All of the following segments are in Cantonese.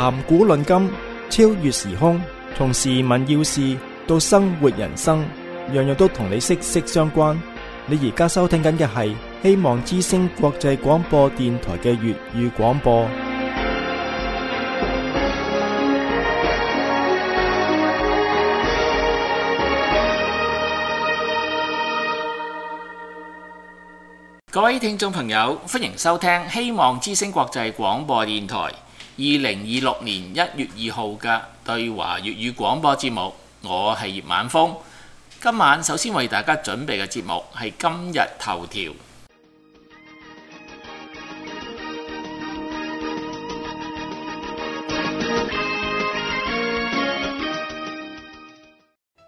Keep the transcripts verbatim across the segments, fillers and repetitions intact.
談古論今，超越時空，從時聞要事到生活人生，樣樣都同你息息相關。你而家收聽緊嘅係希望之聲國際廣播電台嘅粵語廣播。各位聽眾朋友，歡迎收聽希望之聲國際廣播電台二零二六年一月二號嘅對華粵語廣播節目。我係葉晚風。今晚首先為大家準備嘅節目係今日頭條。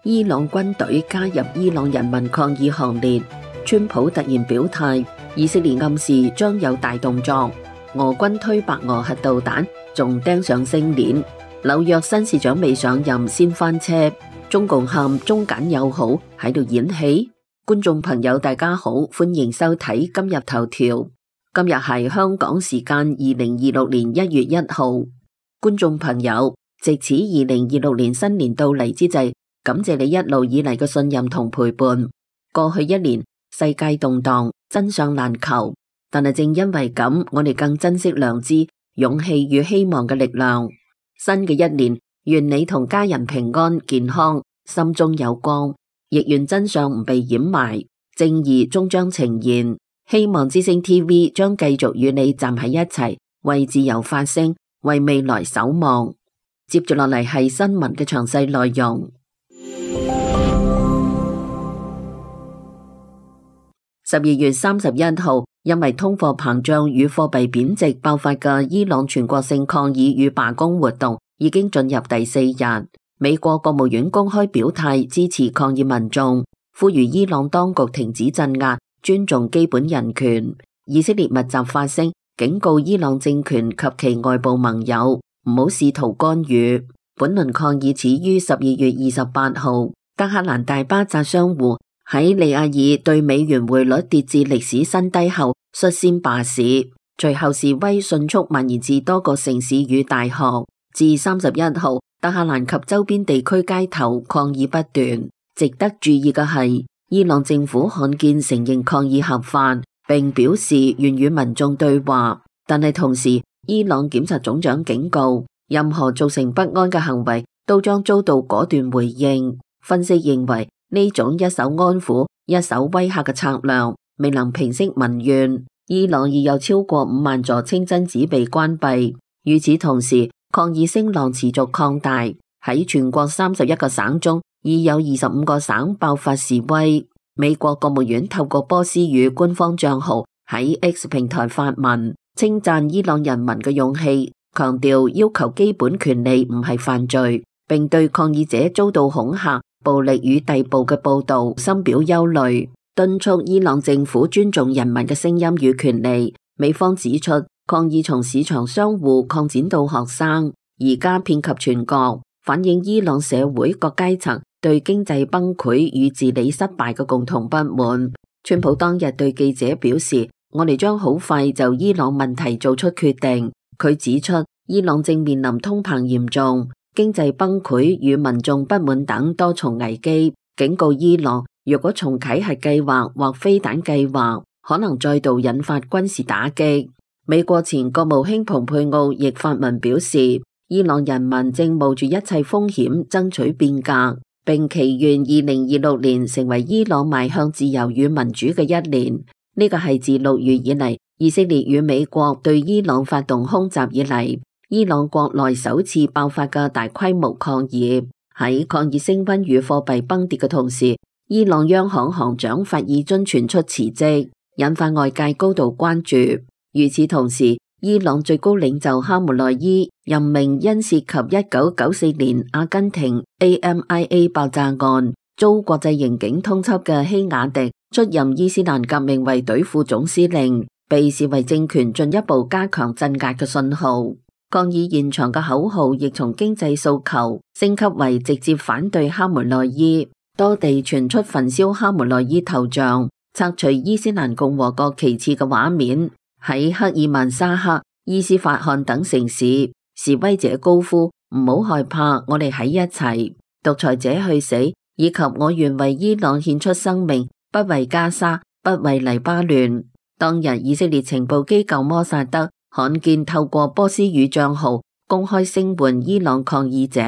伊朗軍隊加入伊朗人民抗議行列，川普突然表態，以色列暗示將有大動作，俄軍推白俄核導彈，仲釘上星鏈，紐約新市長未上任先翻車，中共喊中柬友好喺度演戲。觀眾朋友大家好，歡迎收睇今日頭條。今日係香港時間二零二六年一月一號。觀眾朋友，藉此二零二六年新年到嚟之際，感謝你一路以嚟嘅信任同陪伴。過去一年世界動盪，真相難求，但係正因為咁，我哋更珍惜良知、勇氣與希望嘅力量。新嘅一年，願你同家人平安健康，心中有光，亦願真相唔被掩埋，正義終將呈現。希望之聲 T V 將繼續與你站喺一齊，為自由發聲，為未來守望。接住落嚟係新聞嘅詳細內容。十二月三十一號，因為通貨膨脹與貨幣貶值爆發嘅伊朗全國性抗議與罷工活動已經進入第四日。美國國務院公開表態支持抗議民眾，呼籲伊朗當局停止鎮壓，尊重基本人權。以色列密集發聲，警告伊朗政權及其外部盟友唔好試圖干預。本輪抗議始於十二月二十八號，德黑蘭大巴扎商戶喺利亞爾對美元匯率跌至歷史新低後率先罷市，隨後示威迅速蔓延至多個城市與大學。至三十一號，德黑蘭及周邊地區街頭抗議不斷。值得注意嘅係，伊朗政府罕見承認抗議合法，並表示願與民眾對話，但係同時，伊朗檢察總長警告，任何造成不安嘅行為都將遭到果斷回應。分析認為，呢種一手安撫、一手威嚇嘅策略未能平息民怨。伊朗已有超過五萬座清真寺被關閉。與此同時，抗議聲浪持續擴大，喺全國三十一個省中，已有二十五個省爆發示威。美國國務院透過波斯語官方賬號喺 X 平台發文，稱讚伊朗人民嘅勇氣，強調要求基本權利唔係犯罪，並對抗議者遭到恐嚇、暴力與逮捕嘅報道深表憂慮，敦促伊朗政府尊重人民嘅聲音與權利。美方指出，抗議從市場商戶擴展到學生，而家遍及全國，反映伊朗社會各階層對經濟崩潰與治理失敗嘅共同不滿。川普當日對記者表示，我哋將好快就伊朗問題做出決定。佢指出，伊朗正面臨通膨嚴重、經濟崩潰與民眾不滿等多重危機，警告伊朗若果重啟核計劃或飛彈計劃，可能再度引發軍事打擊。美國前國務卿蓬佩奧亦發文表示，伊朗人民正冒住一切風險爭取變革，並祈願二零二六年成為伊朗邁向自由與民主嘅一年。呢個係自六月以嚟，以色列與美國對伊朗發動空襲以嚟，伊朗國內首次爆發嘅大規模抗議。喺抗議升溫與貨幣崩跌嘅同時，伊朗央行行長法爾津傳出辭職，引發外界高度關注。與此同時，伊朗最高領袖哈梅內伊任命因涉及一九九四年阿根廷 A M I A 爆炸案遭國際刑警通緝嘅希雅迪出任伊斯蘭革命衛隊副總司令，被視為政權進一步加強鎮壓嘅信號。抗議現場嘅口號亦從經濟訴求升級為直接反對哈梅內伊，多地傳出焚燒哈梅內伊頭像、拆除伊斯蘭共和國旗幟嘅畫面。喺克爾曼沙克、伊斯法罕等城市，示威者高呼唔好害怕，我哋喺一齊，獨裁者去死，以及我願為伊朗獻出生命，不為加沙，不為黎巴嫩。當日以色列情報機構摩薩德罕見透過波斯語賬號公開聲援伊朗抗議者，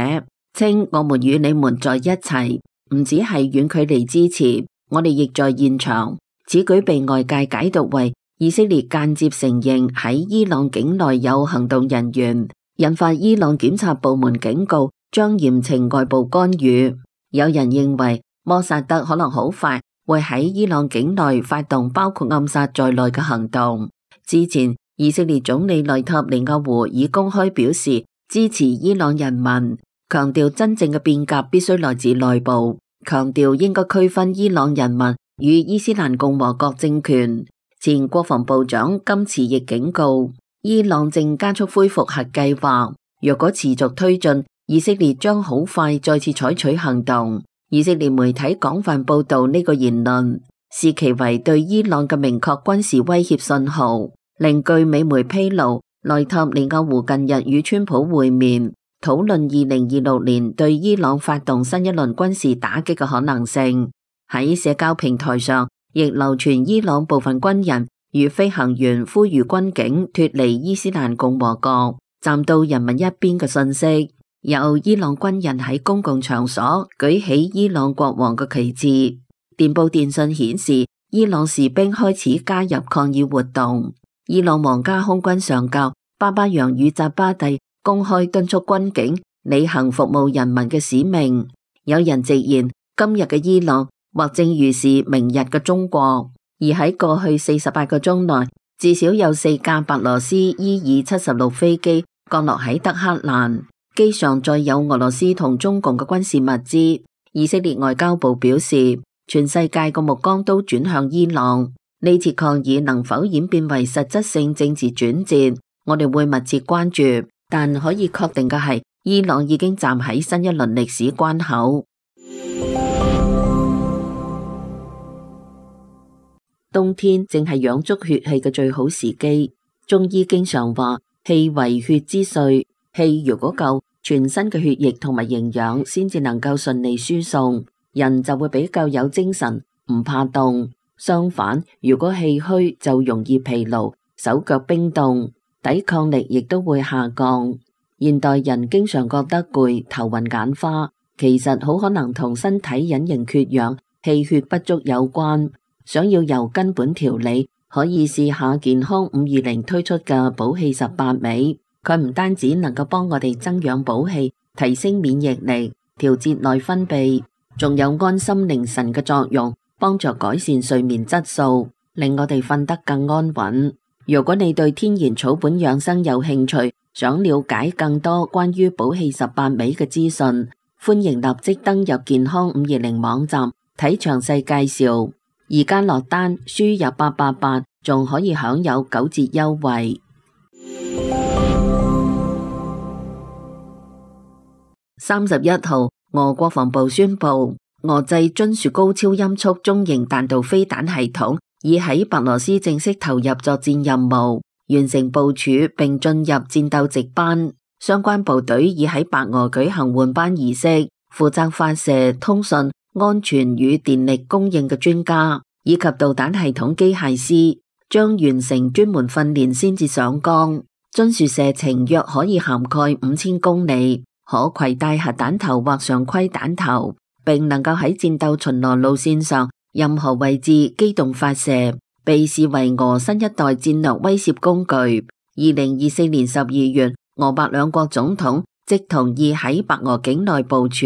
稱我們與你們在一齊，唔只係遠距離支持，我哋亦在現場。此舉被外界解讀為以色列間接承認喺伊朗境內有行動人員，引發伊朗檢察部門警告將嚴懲外部干預。有人認為摩薩德可能好快會喺伊朗境內發動包括暗殺在內嘅行動。之前以色列總理內塔尼亞胡已公開表示支持伊朗人民，強調真正嘅變革必須來自內部，強調應該區分伊朗人民與伊斯蘭共和國政權。前國防部長金池亦警告，伊朗正加速恢復核計劃，若果持續推進，以色列將好快再次採取行動。以色列媒體廣泛報道呢個言論，視其為對伊朗嘅明確軍事威脅信號。另據美媒披露，內塔尼亞胡近日與川普會面，討論二零二六年對伊朗發動新一輪軍事打擊嘅可能性。喺社交平台上，亦流傳伊朗部分軍人與飛行員呼籲軍警脫離伊斯蘭共和國，站到人民一邊嘅信息。有伊朗軍人喺公共場所舉起伊朗國王嘅旗幟。電報電信顯示，伊朗士兵開始加入抗議活動。伊朗皇家空軍上校巴巴揚與扎巴蒂公開敦促軍警履行服務人民嘅使命。有人直言，今日嘅伊朗或正預示明日嘅中國。而喺過去四十八個鐘內，至少有四架白羅斯伊爾七十六飛機降落喺德黑蘭。機上載有俄羅斯同中共嘅軍事物資。以色列外交部表示，全世界嘅目光都轉向伊朗。呢次抗議能否演變為實質性政治轉折，我哋會密切關注。但可以確定嘅係，伊朗已經站喺新一輪歷史關口。冬天正係養足血氣嘅最好時機。中醫經常話，氣為血之髓，氣如果夠，全身嘅血液同埋營養先至能夠順利輸送，人就會比較有精神，唔怕凍。相反，如果氣虛就容易疲勞，手腳冰凍，抵抗力亦都會下降。現代人經常覺得攰、頭暈眼花，其實好可能同身體隱形缺氧、氣血不足有關。想要由根本調理，可以試下健康五二零推出嘅補氣十八味。佢唔單止能夠幫我哋增氧補氣、提升免疫力、調節內分泌，仲有安心寧神嘅作用，幫助改善睡眠質素，令我哋瞓得更安穩。如果你對天然草本養生有興趣，想了解更多關於補氣十八味嘅資訊，歡迎立即登入健康五二零網站睇詳細介紹。而家落單輸入八八八，仲可以享有九折優惠。三十一號，俄國防部宣布，俄製津樹高超音速中型彈道飛彈系統已喺白羅斯正式投入作戰任務，完成部署並進入戰鬥值班。相關部隊已喺白俄舉行換班儀式，負責發射、通訊、安全與電力供應嘅專家以及導彈系統機械師將完成專門訓練先至上崗。津樹射程約可以涵蓋五千公里，可攜帶核彈頭或常規彈頭，並能夠喺戰鬥巡邏路線上任何位置機動發射，被視為俄新一代戰略威懾工具。二零二四年十二月，俄白兩國總統即同意喺白俄境內部署。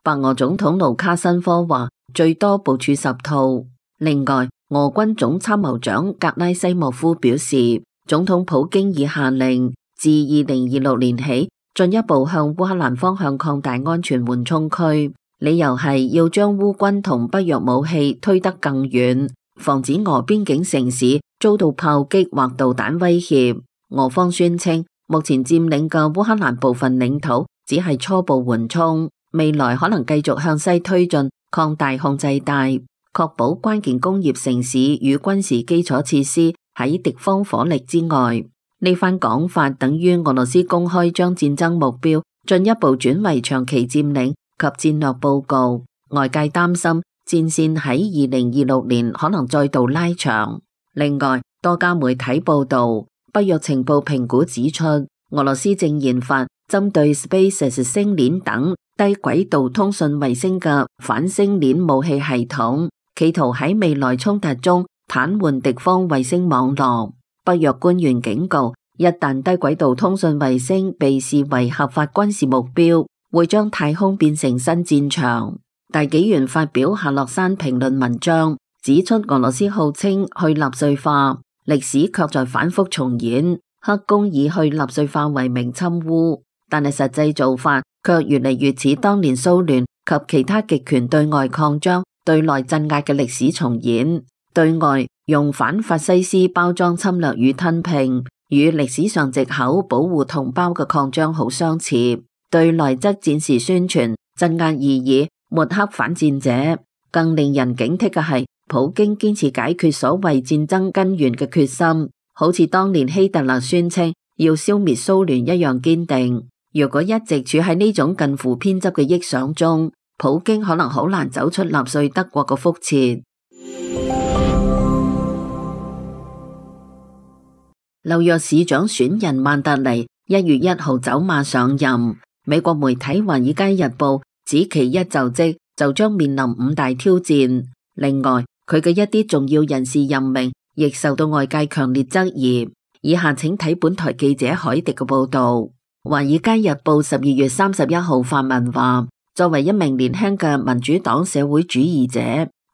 白俄總統盧卡申科話，最多部署十套。另外，俄軍總參謀長格拉西莫夫表示，總統普京已下令自二零二六年起進一步向烏克蘭方向擴大安全緩衝區，理由係要將烏軍同北約武器推得更遠，防止俄邊境城市遭到炮擊或導彈威脅。俄方宣稱，目前佔領嘅烏克蘭部分領土只係初步緩衝，未來可能繼續向西推進，擴大控制帶，確保關鍵工業城市與軍事基礎設施喺敵方火力之外。呢番講法等於俄羅斯公開將戰爭目標進一步轉為長期佔領及戰略報告，外界擔心戰線喺二零二六年可能再度拉長。另外，多家媒體報道，北約情報評估指出，俄羅斯正研發針對 SpaceX 星鏈等低軌道通訊衛星嘅反星鏈武器系統，企圖喺未來衝突中癱瘓敵方衛星網絡。北約官員警告，一旦低軌道通訊衛星被視為合法軍事目標，會將太空變成新戰場。大紀元發表夏洛山評論文章，指出俄羅斯號稱去納粹化，歷史卻在反覆重演。黑宮以去納粹化為名侵烏，但係實際做法卻越嚟越似當年蘇聯及其他極權對外擴張、對內鎮壓嘅歷史重演。對外用反法西斯包裝侵略與吞併，與歷史上藉口保護同胞嘅擴張好相似；對內則戰時宣傳、鎮壓異議、抹黑反戰者。更令人警惕嘅係，普京堅持解決所謂戰爭根源嘅決心，好似當年希特勒宣稱要消滅蘇聯一樣堅定。如果一直處喺呢種近乎偏執嘅臆想中，普京可能好難走出納粹德國嘅覆轍。紐約市長選人曼達尼一月一號走馬上任，美國媒體《華爾街日報》指其一就職就將面臨五大挑戰。另外，佢嘅一啲重要人事任命亦受到外界強烈質疑。以下請睇本台記者海迪嘅報道。《華爾街日報》十二月三十一號發文話，作為一名年輕嘅民主黨社會主義者，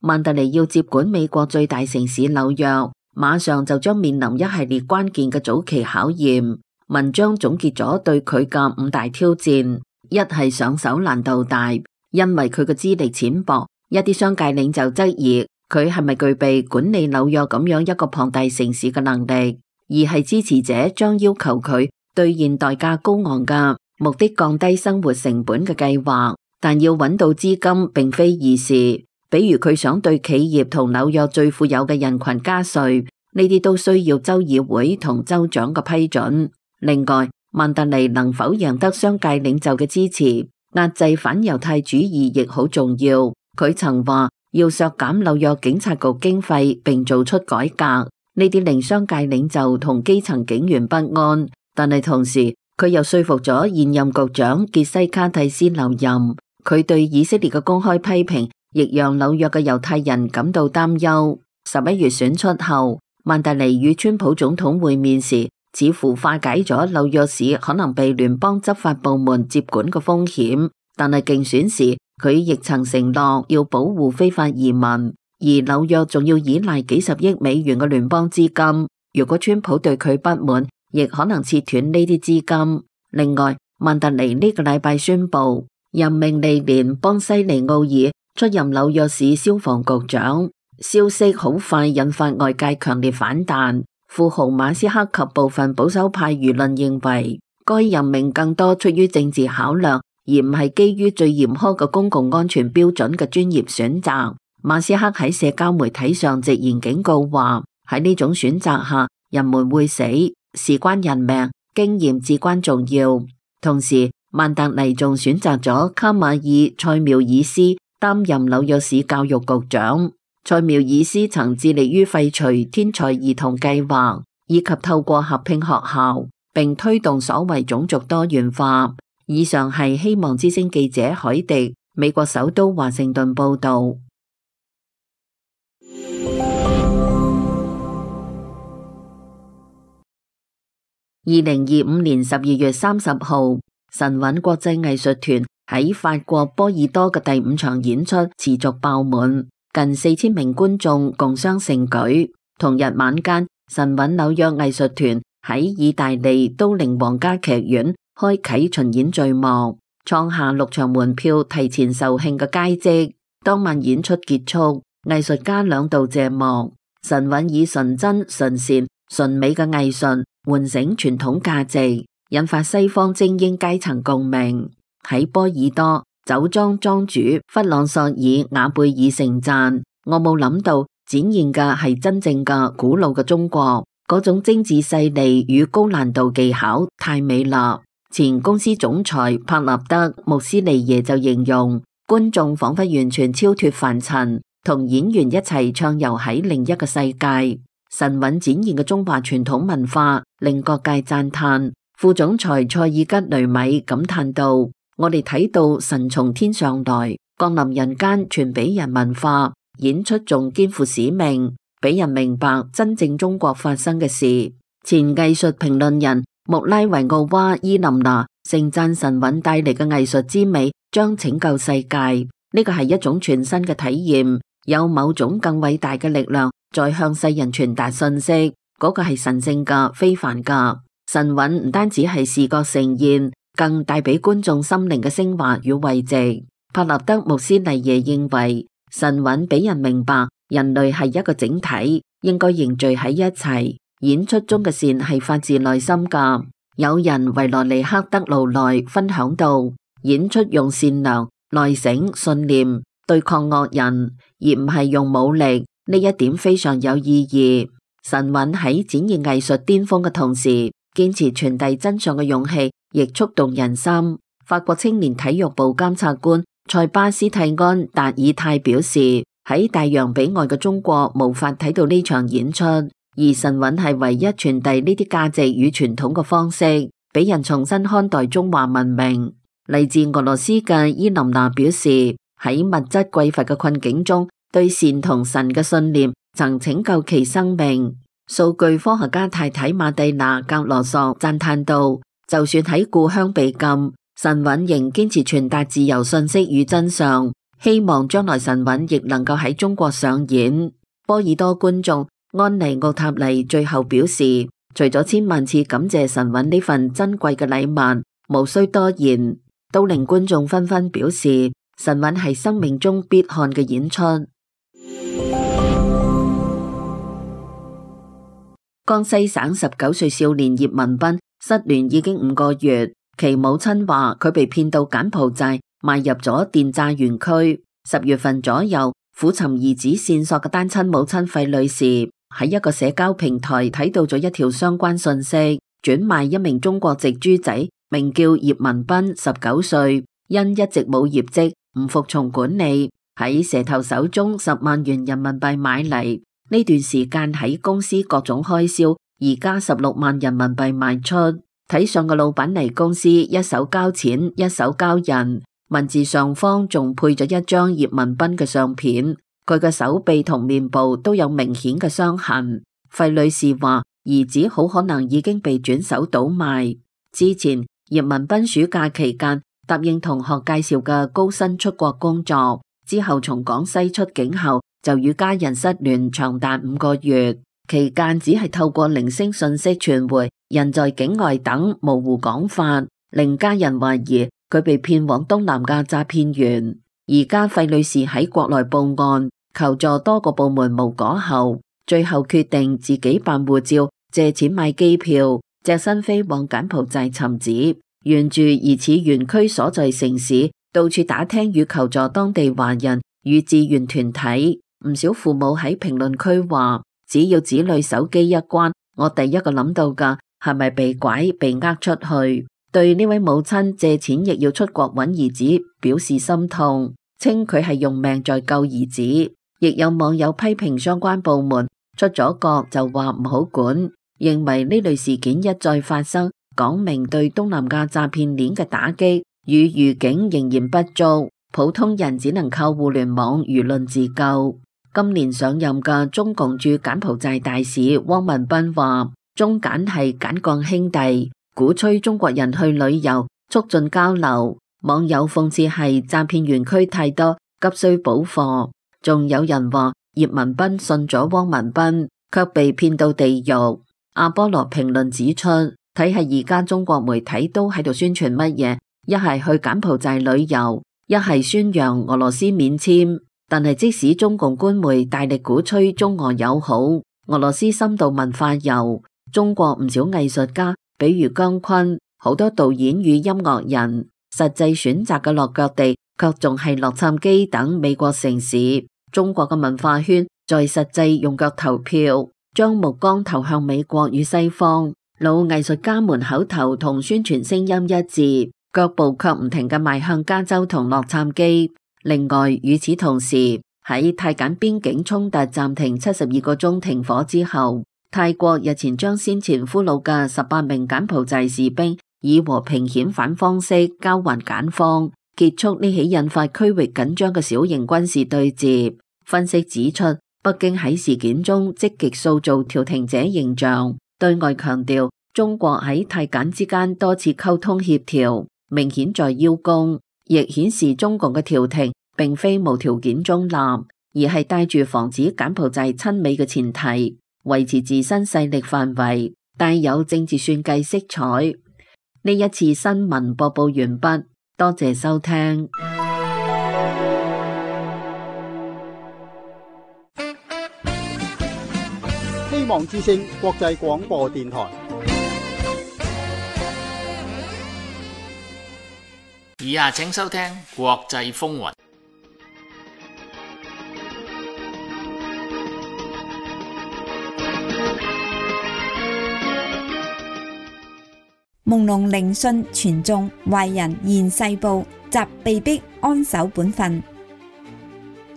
曼達尼要接管美國最大城市紐約，馬上就將面臨一系列關鍵嘅早期考驗。文章總結咗對佢嘅五大挑戰：一係上手難度大，因為佢嘅資歷淺薄，一啲商界領袖質疑佢係咪具備管理紐約咁樣一個龐大城市嘅能力；二係支持者將要求佢兌現代價高昂嘅目的降低生活成本嘅計劃，但要揾到資金並非易事。比如佢想對企業同紐約最富有嘅人群加稅，呢啲都需要州議會同州長嘅批准。另外，曼達尼能否贏得商界領袖嘅支持，壓制反猶太主義亦好重要。佢曾話要削減紐約警察局經費並做出改革，呢啲令商界領袖同基層警員不安。但係同時，佢又說服咗現任局長傑西卡蒂斯留任。佢對以色列嘅公開批評亦讓紐約嘅猶太人感到擔憂。十一月選出後，曼達尼與川普總統會面時，似乎化解咗紐約市可能被聯邦執法部門接管嘅風險。但係競選時，佢亦曾承諾要保護非法移民，而紐約仲要依賴幾十億美元嘅聯邦資金。如果川普對佢不滿，亦可能切斷呢啲資金。另外，曼達尼呢個禮拜宣布任命利蓮邦西尼奧爾出任紐約市消防局長，消息好快引發外界強烈反彈。富豪馬斯克及部分保守派輿論認為，該任命更多出於政治考量，而唔係基於最嚴苛嘅公共安全標準嘅專業選擇。馬斯克喺社交媒體上直言警告話，喺呢種選擇下，人們會死，事關人命，經驗至關重要。同時，曼達尼仲選擇咗卡馬爾塞繆爾斯擔任紐約市教育局長。塞繆爾斯曾致力於廢除天才兒童計劃，以及透過合併學校，並推動所謂種族多元化。以上係希望之聲記者海迪，美國首都華盛頓報道。二零二五年十二月三十號，神韻國際藝術團喺法國波爾多嘅第五場演出持續爆滿，近四千名觀眾共襄盛舉。同日晚間，神韻紐約藝術團喺意大利都靈皇家劇院開啟巡演序幕，創下六場門票提前售罄嘅佳績。當晚演出結束，藝術家兩度謝幕。神韻以純真、純善、純美嘅藝術喚醒傳統價值，引發西方精英階層共鳴。喺波爾多，酒莊莊主弗朗索爾瓦貝爾盛讚：我冇諗到展現嘅係真正嘅古老嘅中國，嗰種精緻細膩與高難度技巧太美啦。前公司總裁帕納德穆斯利耶就形容，觀眾仿佛完全超脫凡塵，同演員一齊暢遊喺另一個世界。神韻展現嘅中華傳統文化令各界讚嘆。副總裁塞爾吉雷米感嘆道：我哋睇到神從天上來，降臨人間，傳俾人文化，演出仲肩負使命，俾人明白真正中國發生嘅事。前藝術評論人穆拉維奧娃伊林娜盛讚神韻帶嚟嘅藝術之美將拯救世界，呢個係一種全新嘅體驗，有某種更偉大嘅力量在向世人傳達信息，嗰個係神聖嘅、非凡嘅。神韻唔單止係視覺盛宴，更帶俾觀眾心靈嘅升華與慰藉。帕納德穆斯利耶認為，神韻俾人明白人類係一個整體，應該凝聚喺一齊。演出中嘅善係發自內心噶。有人維羅尼克德勞內分享到，演出用善良、內省、信念對抗惡人，而唔係用武力，呢一點非常有意義。神韻喺展現藝術巔峰嘅同時，堅持傳遞真相嘅勇氣亦觸動人心。法國青年體育部監察官塞巴斯蒂安達爾泰表示，喺大洋彼岸嘅中國無法睇到呢場演出，而神韻係唯一傳遞呢啲價值與傳統嘅方式，俾人重新看待中華文明。嚟自俄羅斯嘅伊琳娜表示，喺物質匱乏嘅困境中，對善同神嘅信念曾拯救其生命。數據科學家太太馬蒂娜格羅索讚嘆道，就算喺故鄉被禁，神韻仍堅持傳達自由信息與真相，希望將來神韻亦能夠喺中國上演。波爾多觀眾安妮奧塔尼最後表示，除咗千萬次感謝神韻呢份珍貴嘅禮物，無需多言，都令觀眾紛紛表示神韻係生命中必看嘅演出。江西省十九歲少年葉文斌失聯已經五個月，其母親話佢被騙到柬埔寨，賣入咗電詐園區。十月份左右，苦尋兒子線索嘅單親母親費女士喺一個社交平台睇到咗一條相關信息，轉賣一名中國籍豬仔，名叫葉文斌，十九歲，因一直冇業績，唔服從管理，喺蛇頭手中十萬元人民幣買嚟。呢段時間喺公司各種開銷，而家十六萬人民幣賣出。睇上個老闆嚟公司，一手交錢，一手交人。文字上方仲配咗一張葉文斌嘅相片，佢嘅手臂同面部都有明顯嘅傷痕。費女士話，兒子好可能已經被轉手倒賣。之前葉文斌暑假期間答應同學介紹嘅高薪出國工作，之後從廣西出境後，就與家人失聯長達五個月，期間只係透過零星信息傳回人在境外等模糊講法，令家人懷疑佢被騙往東南亞詐騙園。而家費女士喺國內報案求助多個部門無果後，最後決定自己辦護照，借錢買機票，隻身飛往柬埔寨尋子，沿住疑似園區所在城市，到處打聽與求助當地華人與志願團體。唔少父母喺評論區話，只要子女手機一關，我第一個諗到嘅係咪被拐被呃出去。對呢位母親借錢亦要出國揾兒子表示心痛，稱佢係用命在救兒子。亦有網友批評相關部門出咗國就話唔好管，認為呢類事件一再發生，講明對東南亞詐騙鏈嘅打擊與預警仍然不足，普通人只能靠互聯網輿論自救。今年上任嘅中共駐柬埔寨大使汪文斌話，中柬係柬鋼兄弟，鼓吹中國人去旅遊，促進交流。網友諷刺係詐騙園區太多，急需補貨。仲有人話葉文斌信咗汪文斌，卻被騙到地獄。阿波羅評論指出，睇下而家中國媒體都喺度宣傳乜嘢，一係去柬埔寨旅遊，一係宣揚俄羅斯免簽。但係即使中共官媒大力鼓吹中俄友好、俄羅斯深度文化遊，中國唔少藝術家，比如姜昆，好多導演與音樂人，實際選擇嘅落腳地卻仲係洛杉磯等美國城市。中國嘅文化圈在實際用腳投票，將目光投向美國與西方。老藝術家們口頭同宣傳聲音一致，腳步卻唔停嘅邁向加州同洛杉磯。另外，與此同時，喺泰柬邊境衝突暫停七十二個鐘停火之後，泰國日前將先前俘虜嘅十八名柬埔寨士兵以和平遣返方式交還柬方，結束呢起引發區域緊張嘅小型軍事對接。分析指出，北京喺事件中積極塑造調停者形象，對外強調中國喺泰柬之間多次溝通協調，明顯在邀功，亦顯示中共嘅調停並非無條件中立，而係帶住防止柬埔寨親美嘅前提，維持自身勢力範圍，帶有政治算計色彩。呢一次新聞播報完畢，多謝收聽。希望之聲國際廣播電台。以下請收聽國際風雲。朦朧聆訊傳頌，壞人現世報，習被逼安守本分。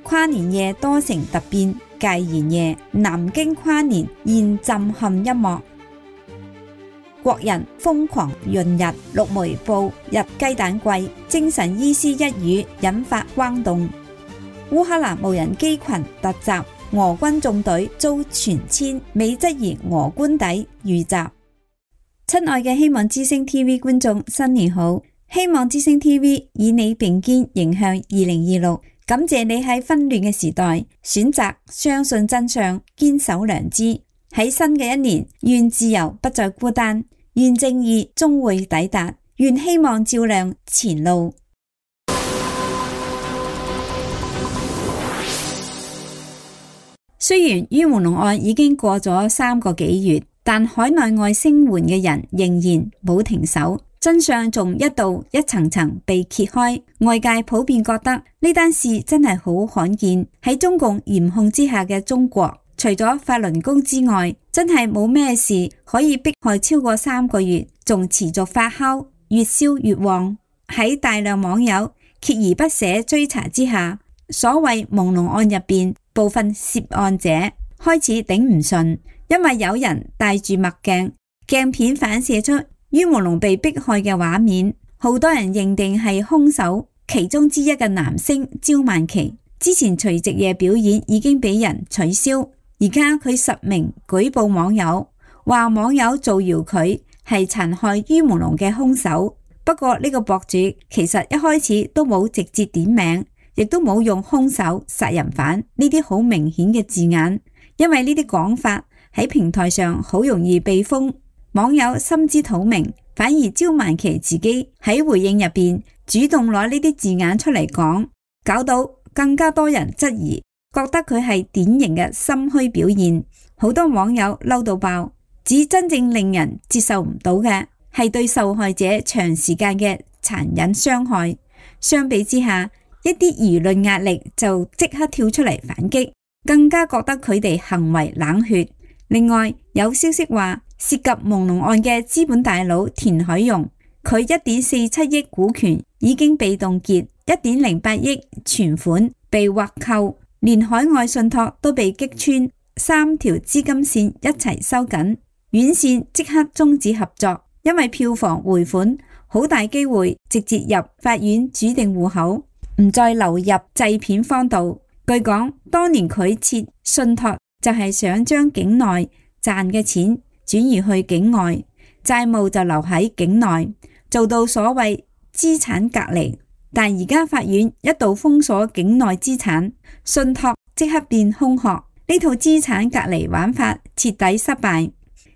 跨年夜多城突變，戒嚴夜南京跨年現震撼一幕。國人瘋狂閏日，陸媒報日雞蛋貴，精神醫師一語引發轟動。烏克蘭無人機群突襲，俄軍縱隊遭全殲，美質疑俄官邸遇襲。親愛嘅希望之聲 T V 觀眾，新年好！希望之聲 T V 以你並肩迎向二零二六，感謝你喺紛亂嘅時代選擇相信真相，堅守良知。喺新嘅一年，願自由不再孤單，願正義終會抵達，願希望照亮前路。雖然于文龍案已經過咗三個幾月，但海內外聲援嘅人仍然冇停手，真相仲一度一層層被揭開。外界普遍覺得呢單事真係好罕見，喺中共嚴控之下嘅中國，除咗法輪功之外，真係冇咩事可以迫害超過三個月，仲持續發酵，越燒越旺。喺大量網友鍥而不捨追查之下，所謂朦朧案入邊部分涉案者開始頂唔順。因為有人戴住墨鏡，鏡片反射出于文龍被迫害嘅畫面，好多人認定係兇手其中之一嘅男星焦曼琪。之前除夕夜表演已經俾人取消，而家佢實名舉報網友，話網友造謠佢係殘害于文龍嘅兇手。不過呢個博主其實一開始都冇直接點名，亦都冇用兇手、殺人犯呢啲好明顯嘅字眼，因為呢啲講法喺平台上好容易被封，網友心知肚明，反而焦曼琪自己喺回應入邊主動攞呢啲字眼出嚟講，搞到更加多人質疑，覺得佢係典型嘅心虛表現。好多網友嬲到爆，指真正令人接受唔到嘅係對受害者長時間嘅殘忍傷害。相比之下，一啲輿論壓力就即刻跳出嚟反擊，更加覺得佢哋行為冷血。另外有消息話，涉及朦朧案嘅資本大佬田海容，佢一點四七億股權已經被凍結，一點零八億存款被劃扣，連海外信託都被擊穿，三條資金線一齊收緊，院線即刻終止合作，因為票房回款好大機會直接入法院指定戶口，唔再流入製片方度。據講，當年佢設信託就係想將境內賺嘅錢轉移去境外，債務就留喺境內，做到所謂資產隔離。但而家法院一度封鎖境內資產，信託即刻變空殼，呢套資產隔離玩法徹底失敗。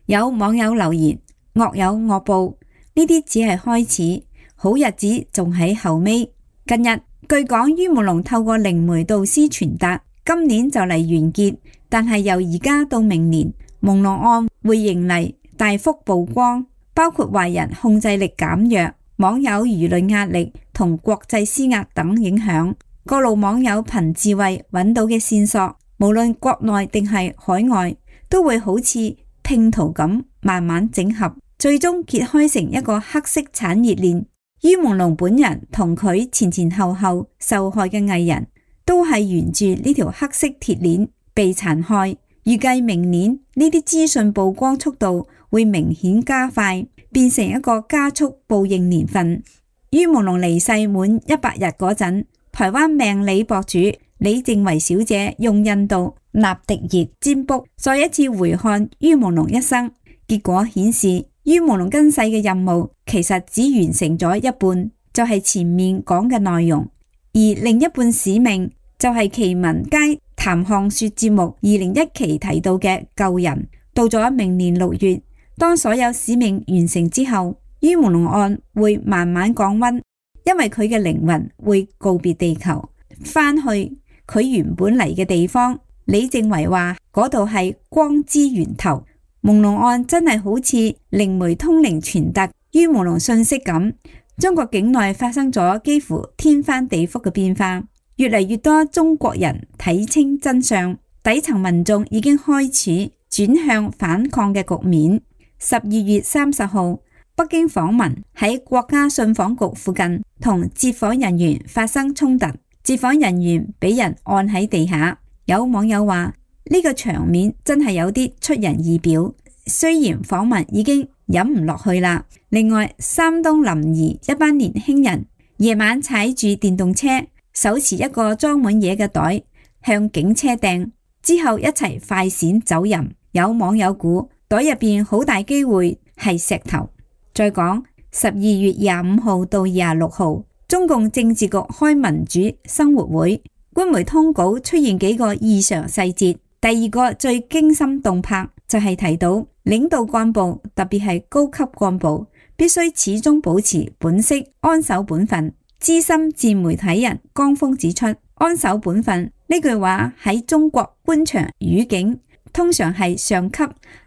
有網友留言：惡有惡報，呢啲只係開始，好日子仲喺後尾。近日據講，于文龍透過靈媒導師傳達，今年就嚟完結，但係由而家到明年，朦朧案會迎嚟大幅曝光，包括壞人控制力減弱、網友輿論壓力同國際施壓等影響。各路網友憑智慧揾到嘅線索，無論國內定係海外，都會好似拼圖咁慢慢整合，最終揭開成一個黑色產業鏈。于朦朧本人同佢前前後後受害嘅藝人都係沿住呢條黑色鐵鏈被殘害。預計明年呢啲資訊曝光速度會明顯加快，變成一個加速報應年份。于朦朧離世滿一百日嗰陣，台灣命理博主李靜維小姐用印度納迪熱占卜再一次回看于朦朧一生，結果顯示于朦朧今世嘅任務其實只完成咗一半，就係前面講嘅內容，而另一半使命就係奇聞街談項說節目二零一期提到嘅救人。到咗明年六月，當所有使命完成之後，于朦朧案會慢慢降溫，因為佢嘅靈魂會告別地球，返去佢原本嚟嘅地方。李靜維話嗰度係光之源頭。朦朧案真係好似靈媒通靈傳達于朦朧信息咁，中國境內發生咗幾乎天翻地覆嘅變化，越嚟越多中國人睇清真相，底層民眾已經開始轉向反抗嘅局面。十二月三十號，北京訪民喺國家信訪局附近同接訪人員發生衝突，接訪人員俾人按喺地下。有網友話呢個場面真係有啲出人意表，雖然訪民已經忍唔落去啦。另外，山東臨沂一班年輕人夜晚踩住電動車，手持一個裝滿嘢嘅袋向警車掟，之後一齊快閃走人。有網友估袋入邊好大機會係石頭。再講十二月廿五號到廿六號，中共政治局開民主生活會，官媒通稿出現幾個異常細節。第二個最驚心動魄就係提到領導幹部，特別係高級幹部必須始終保持本色，安守本分。資深自媒體人江峰指出，安守本分呢句話喺中國官場語境通常係上級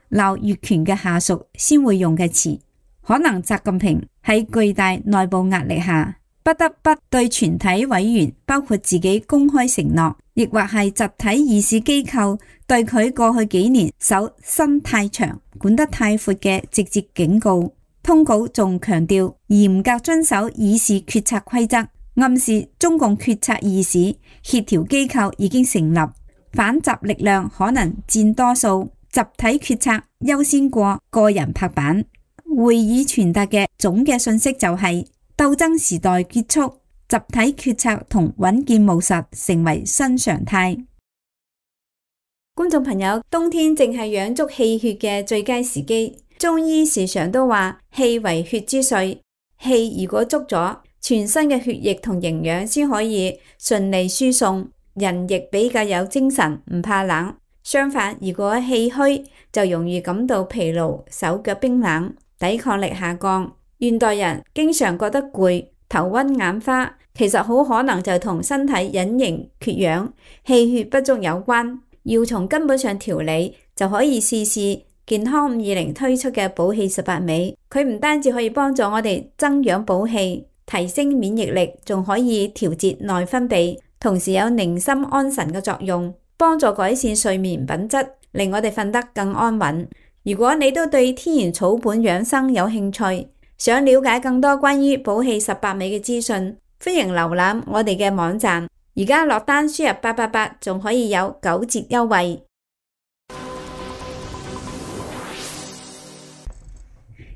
鬧越權嘅下屬先會用嘅詞，可能習近平喺巨大內部壓力下不得不對全體委員包括自己公開承諾，亦或係集體議事機構對佢過去幾年手伸太長、管得太闊嘅直接警告。通稿仲強調嚴格遵守議事決策規則，暗示中共決策議事協調機構已經成立，反習力量可能佔多數，集體決策優先過個人拍板。會議傳達嘅總嘅信息就係、是、鬥爭時代結束，集體決策同穩健務實成為新常態。觀眾朋友，冬天正係養足氣血嘅最佳時機。中醫時常都話氣為血之髓，氣如果足咗，全身嘅血液同營養先可以順利輸送，人亦比較有精神，唔怕冷。相反，如果氣虛，就容易感到疲勞，手腳冰冷，抵抗力下降。現代人經常覺得攰、頭暈眼花，其實好可能就同身體隱形缺氧、氣血不足有關。要從根本上調理，就可以試試健康五二零推出嘅補氣十八味。佢唔單止可以幫助我哋增養補氣、提升免疫力，仲可以調節內分泌，同時有寧心安神嘅作用，幫助改善睡眠品質，令我哋瞓得更安穩。如果你都對天然草本養生有興趣，想了解更多關於補氣十八味嘅資訊，歡迎瀏覽我哋嘅網站。而家落單輸入八八八，仲可以有九折優惠。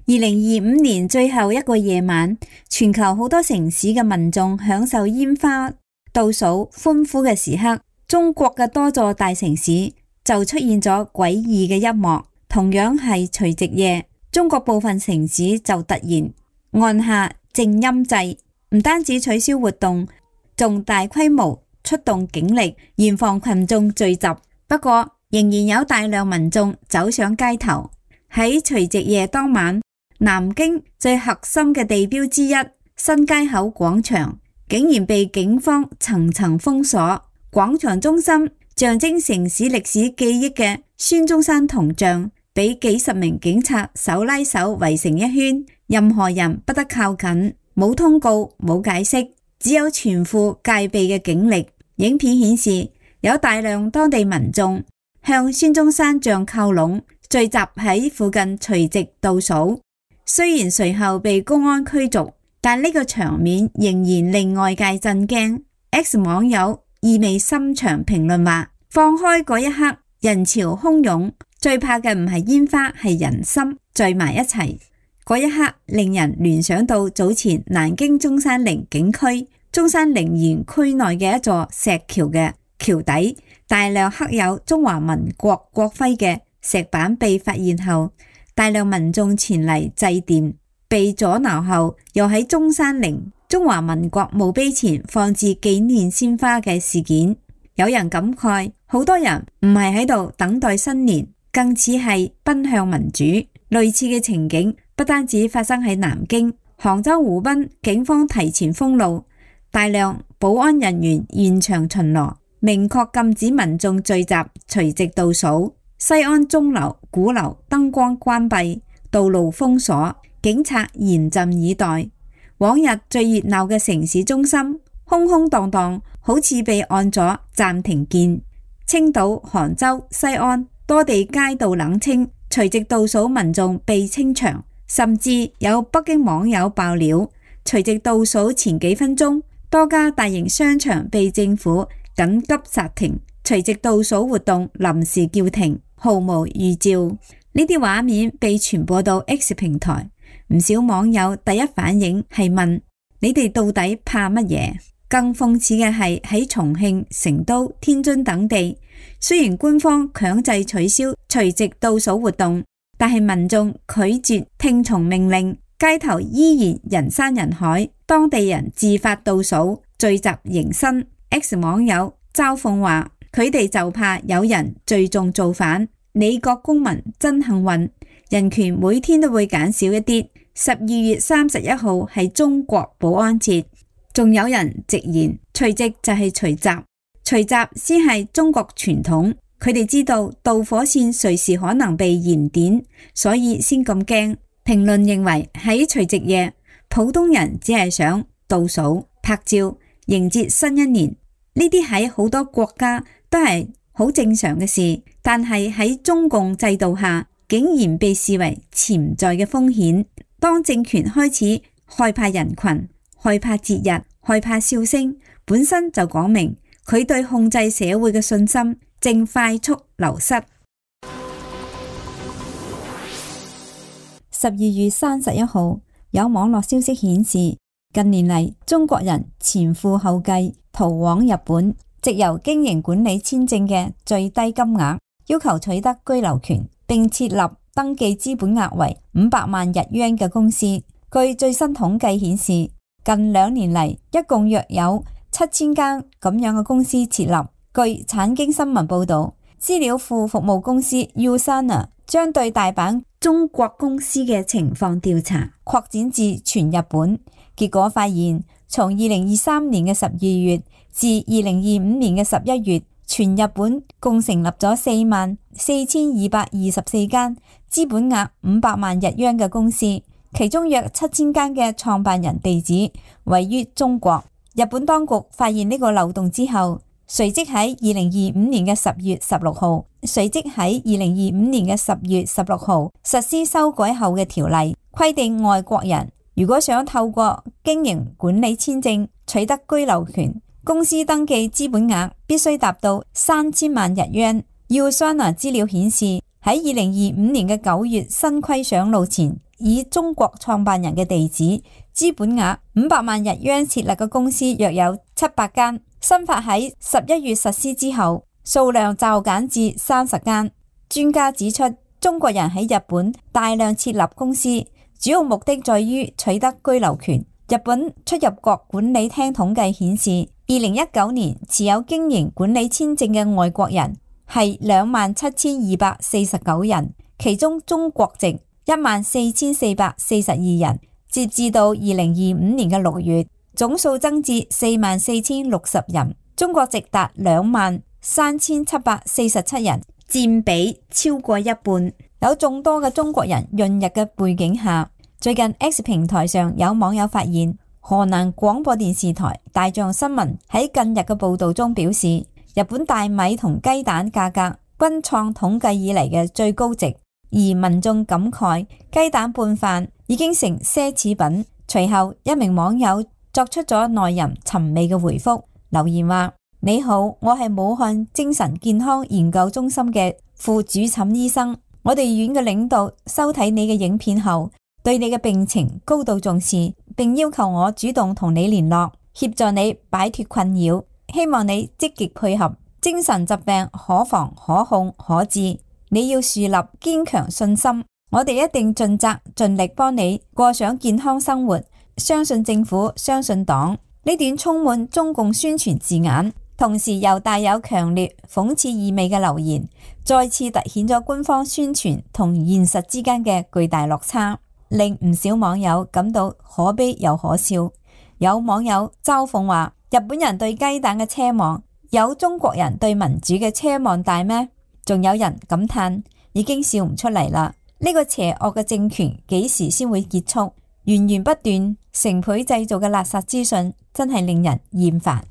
二零二五年最後一個夜晚，全球好多城市嘅民眾享受煙花倒數歡呼嘅時刻，中國嘅多座大城市就出現咗詭異嘅一幕。同樣係除夕夜，中國部分城市就突然按下靜音掣，唔單止取消活動，仲大規模出動警力嚴防群眾聚集。不過仍然有大量民眾走上街頭。喺除夕夜當晚，南京最核心嘅地標之一新街口廣場竟然被警方層層封鎖。廣場中心象徵城市歷史記憶嘅孫中山銅像俾幾十名警察手拉手圍成一圈，任何人不得靠近，冇通告，冇解釋，只有全副戒備嘅警力。影片顯示有大量當地民眾向孫中山像靠攏，聚集喺附近隨即倒數。雖然隨後被公安驅逐，但呢個場面仍然令外界震驚。X 網友意味深長評論話：放開嗰一刻，人潮洶湧，最怕嘅唔係煙花，係人心聚埋一齊。嗰一刻令人聯想到早前南京中山陵景區中山陵園區內嘅一座石橋嘅橋底，大量刻有中華民國國徽嘅石板被發現後，大量民眾前嚟祭奠，被阻撓後，又喺中山陵中華民國墓碑前放置紀念鮮花嘅事件，有人感慨，好多人唔係喺度等待新年，更似係奔向民主。類似嘅情景不單止發生喺南京、杭州、湖濱，警方提前封路，大量保安人員現場巡邏，明確禁止民眾聚集，隨即倒數。西安鐘樓、鼓樓燈光關閉，道路封鎖，警察嚴陣以待。往日最熱鬧嘅城市中心空空蕩蕩，好似被按咗暫停鍵。青島、杭州、西安多地街道冷清，隨即倒數民眾被清場，甚至有北京網友爆料，隨即倒數前幾分鐘，多家大型商場被政府緊急剎停，隨即倒數活動臨時叫停，毫無預兆。呢啲畫面被傳播到 X 平台，唔少網友第一反應係問：你哋到底怕乜嘢？更諷刺嘅係喺重慶、成都、天津等地，雖然官方強制取消隨即倒數活動，但係民眾拒絕聽從命令，街頭依然人山人海，當地人自發倒數，聚集迎新。X 網友嘲諷話：佢哋就怕有人聚眾造反。美國公民真幸運，人權每天都會減少一啲。十二月三十一號係中國保安節，仲有人直言除夕就係除夕，除夕先係中國傳統。佢哋知道導火線隨時可能被燃點，所以先咁驚。評論認為喺除夕夜，普通人只係想倒數、拍照、迎接新一年，呢啲喺好多國家都係好正常嘅事，但係喺中共制度下，竟然被視為潛在嘅風險。當政權開始害怕人群、害怕節日、害怕笑聲，本身就講明佢對控制社會嘅信心正快速流失。十二月三十一號，有網絡消息顯示，近年嚟中國人前赴後繼逃往日本，藉由經營管理簽證嘅最低金額，要求取得居留權，並設立登記資本額為五百萬日元嘅公司。據最新統計顯示，近兩年嚟一共約有七千間咁樣嘅公司設立。據產經新聞報道，資料庫服務公司 Usana 將對大阪中國公司嘅情況調查擴展至全日本，結果發現，從二零二三年嘅十二月至二零二五年嘅十一月，全日本共成立咗四萬四千二百二十四間資本額五百萬日元嘅公司，其中約七千間嘅創辦人地址位於中國。日本當局發現呢個漏洞之後，隨即喺二零二五年嘅十月十六號，隨即喺二零二五年嘅十月十六號實施修改後嘅條例，規定外國人如果想透過經營管理簽證取得居留權，公司登記資本額必須達到三千萬日元。Usana 資料顯示，喺二零二五年嘅九月新規上路前，以中國創辦人嘅地址、資本額五百萬日元設立嘅公司約有七百間。新法喺十一月實施之後，數量驟減至三十間。專家指出，中國人喺日本大量設立公司，主要目的在於取得居留權。日本出入國管理廳統計顯示，二零一九年持有經營管理簽證嘅外國人係兩萬七千二百四十九人，其中中國籍一萬四千四百四十二人。截至到二零二五年嘅六月，總數增至四萬四千六十人，中國籍達兩萬三千七百四十七人，佔比超過一半。有眾多嘅中國人潤日嘅背景下，最近 X 平台上有網友發現，河南廣播電視台大象新聞喺近日嘅報道中表示，日本大米同雞蛋價格均創統計以嚟嘅最高值，而民眾感慨雞蛋拌飯已經成奢侈品。隨後一名網友作出咗耐人尋味嘅回覆，留言話：你好，我係武漢精神健康研究中心嘅副主診醫生，我哋院嘅領導收睇你嘅影片後，對你嘅病情高度重視，並要求我主動同你聯絡，協助你擺脫困擾，希望你積極配合。精神疾病可防可控可治，你要樹立堅強信心，我哋一定盡責盡力幫你過上健康生活。相信政府，相信黨。呢段充滿中共宣傳字眼，同時又帶有強烈諷刺意味嘅留言，再次凸顯咗官方宣傳同現實之間嘅巨大落差，令唔少網友感到可悲又可笑。有網友嘲諷話：日本人對雞蛋嘅奢望，有中國人對民主嘅奢望大咩？仲有人感嘆已經笑唔出嚟啦！呢個邪惡嘅政權幾時先會結束？源源不斷、成倍製造嘅垃圾資訊，真係令人厭煩。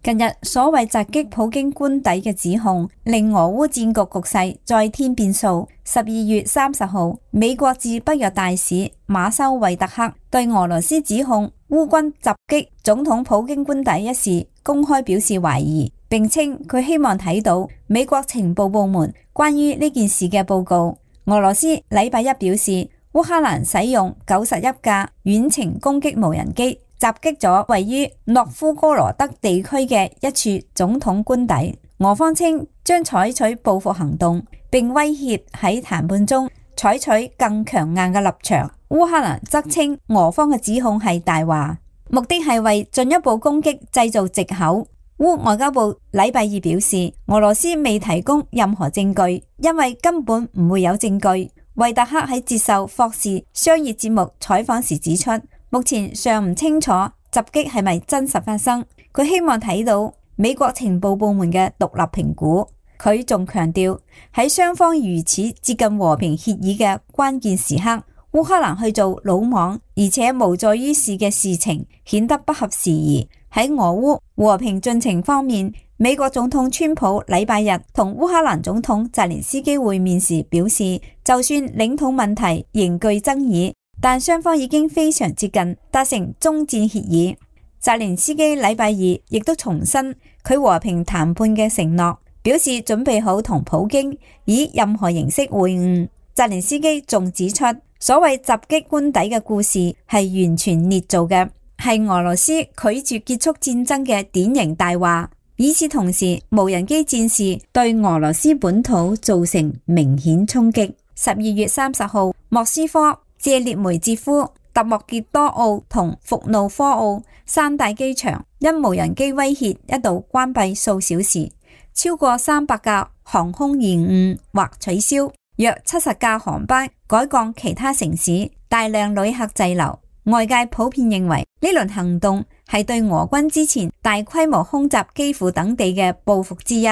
近日所謂襲擊普京官邸嘅指控，令俄烏戰局局勢再添變數。十二月三十號，美國駐北約大使馬修維特克對俄羅斯指控烏軍襲擊總統普京官邸一事公開表示懷疑，並稱佢希望睇到美國情報部門關於呢件事嘅報告。俄羅斯禮拜一表示，烏克蘭使用九十一架遠程攻擊無人機襲擊咗位於諾夫哥羅德地區嘅一處總統官邸。俄方稱將採取報復行動，並威脅喺談判中採取更強硬嘅立場。烏克蘭則稱俄方嘅指控係大話，目的係為進一步攻擊製造藉口。烏外交部禮拜二表示，俄羅斯未提供任何證據，因為根本唔會有證據。維特克喺接受霍士商業節目採訪時指出，目前尚唔清楚襲擊係咪真實發生，佢希望睇到美國情報部門嘅獨立評估。佢仲強調，喺雙方如此接近和平協議嘅關鍵時刻，烏克蘭去做魯莽而且無助於事嘅事情，顯得不合時宜。喺俄烏和平進程方面，美國總統川普禮拜日同烏克蘭總統澤連斯基會面時表示，就算領土問題仍具爭議，但雙方已經非常接近達成終戰協議。澤連斯基禮拜二亦都重申佢和平談判嘅承諾，表示準備好同普京以任何形式會晤。澤連斯基仲指出，所謂襲擊官邸嘅故事係完全捏造嘅，係俄羅斯拒絕結束戰爭嘅典型大話。與此同時，無人機戰事對俄羅斯本土造成明顯衝擊。十二月三十號，莫斯科、謝列梅捷夫、特莫傑多奧同伏努科奧三大機場因無人機威脅一度關閉數小時，超過三百架航空延誤或取消，約七十架航班改降其他城市，大量旅客滯留。外界普遍認為呢輪行動係對俄軍之前大規模空襲基輔等地嘅報復之一。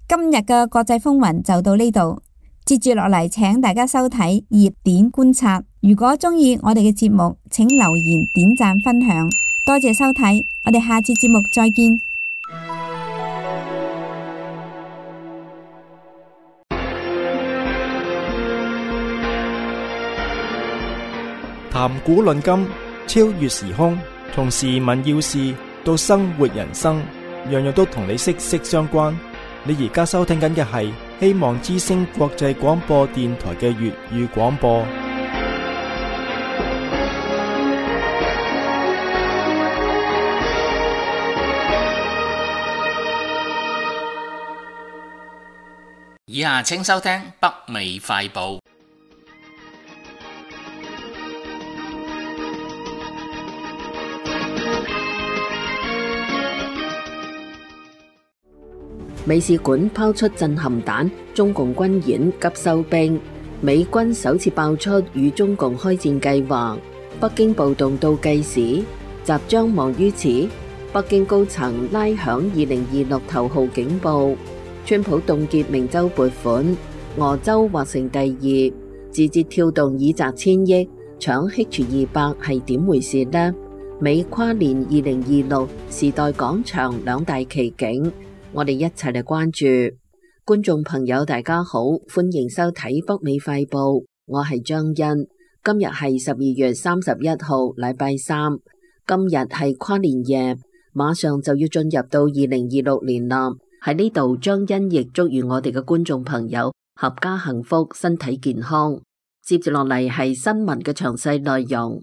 今日嘅國際風雲就到呢度，接住落嚟請大家收睇熱點觀察。如果中意我哋嘅節目，請留言、點讚、分享。多謝收睇，我哋下次節目再見。談古論今，超越時空，從時聞要事到生活人生，樣樣都同你息息相關。你而家收聽緊嘅係希望之聲國際廣播電台嘅粵語廣播。以下請收聽北美快報。美使館拋出震撼彈，中共軍演急收兵，美軍首次爆出與中共開戰計劃，北京暴動倒計時，集將望於此。北京高層拉響二零二六頭號警報，川普凍結明州撥款，俄州或成第二，字節跳動已砸千億，搶 H 二百係點回事呢？美跨年二零二六時代廣場兩大奇景，我哋一齊嚟關注。觀眾朋友大家好，歡迎收睇北美快報，我係張欣。今日係十二月三十一號，禮拜三。今日係跨年夜，馬上就要進入到二零二六年啦。喺呢度，張欣亦祝願我哋嘅觀眾朋友合家幸福，身體健康。接住落嚟係新聞嘅詳細內容。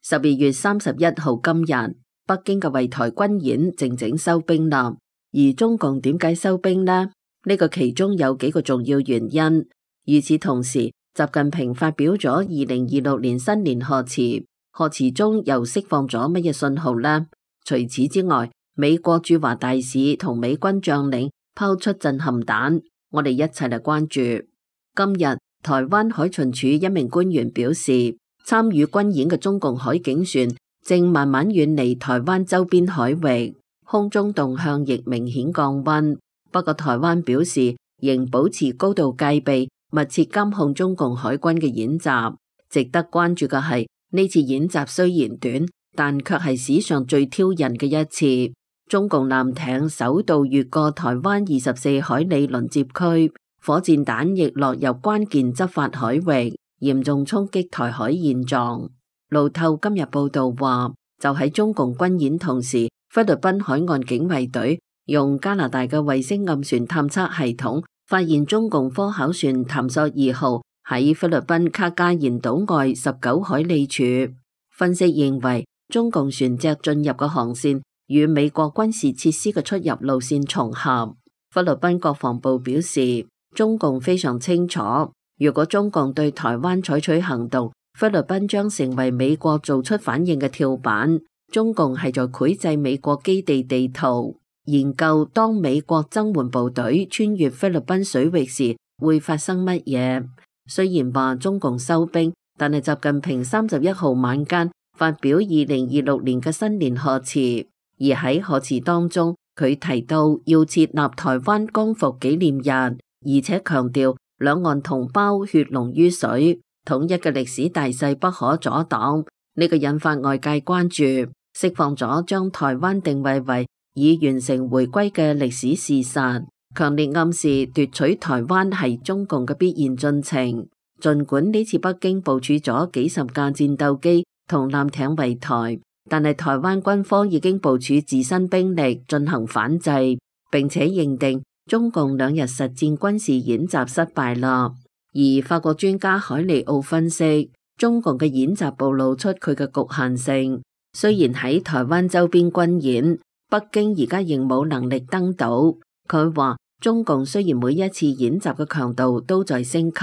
十二月三十一號今日，北京嘅圍台軍演靜靜收兵啦。而中共點解收兵呢？呢個其中有幾個重要原因。與此同時，習近平發表咗二零二六年新年賀詞，賀詞中又釋放咗乜嘢信號呢？除此之外，美國駐華大使同美軍將領拋出震撼彈，我哋一齊嚟關注。今日台灣海巡署一名官員表示，參與軍演嘅中共海警船正慢慢遠離台灣周邊海域，空中動向亦明顯降溫。不過台灣表示仍保持高度戒備，密切監控中共海軍嘅演習。值得關注嘅係，呢次演習雖然短，但卻係史上最挑釁嘅一次。中共艦艇首度越過台灣二十四海里鄰接區，火箭彈亦落入關鍵執法海域，嚴重衝擊台海現狀。路透今日報道話，就喺中共軍演同時，菲律賓海岸警衛隊用加拿大嘅衛星暗船探測系統發現中共科考船潭索二號喺菲律賓卡加延島外十九海里處。分析認為，中共船隻進入嘅航線與美國軍事設施嘅出入路線重合。菲律賓國防部表示，中共非常清楚，如果中共對台灣採取行動，菲律賓將成為美國做出反應嘅跳板。中共係在繪製美國基地地圖，研究當美國增援部隊穿越菲律賓水域時會發生乜嘢。雖然話中共收兵，但係習近平三十一號晚間發表二零二六年嘅新年賀詞，而喺賀詞當中，佢提到要設立台灣光復紀念日，而且強調兩岸同胞血濃於水，統一嘅歷史大勢不可阻擋。呢個引發外界關注，釋放咗將台灣定位為已完成回歸嘅歷史事實，強烈暗示奪取台灣係中共嘅必然進程。儘管呢次北京部署咗幾十架戰鬥機同艦艇圍台，但係台灣軍方已經部署自身兵力進行反制，並且認定中共兩日實戰軍事演習失敗啦。而法國專家海利奧分析，中共嘅演習暴露出佢嘅局限性。雖然喺台灣周邊軍演，北京而家仍冇能力登島。佢話中共雖然每一次演習嘅強度都在升級，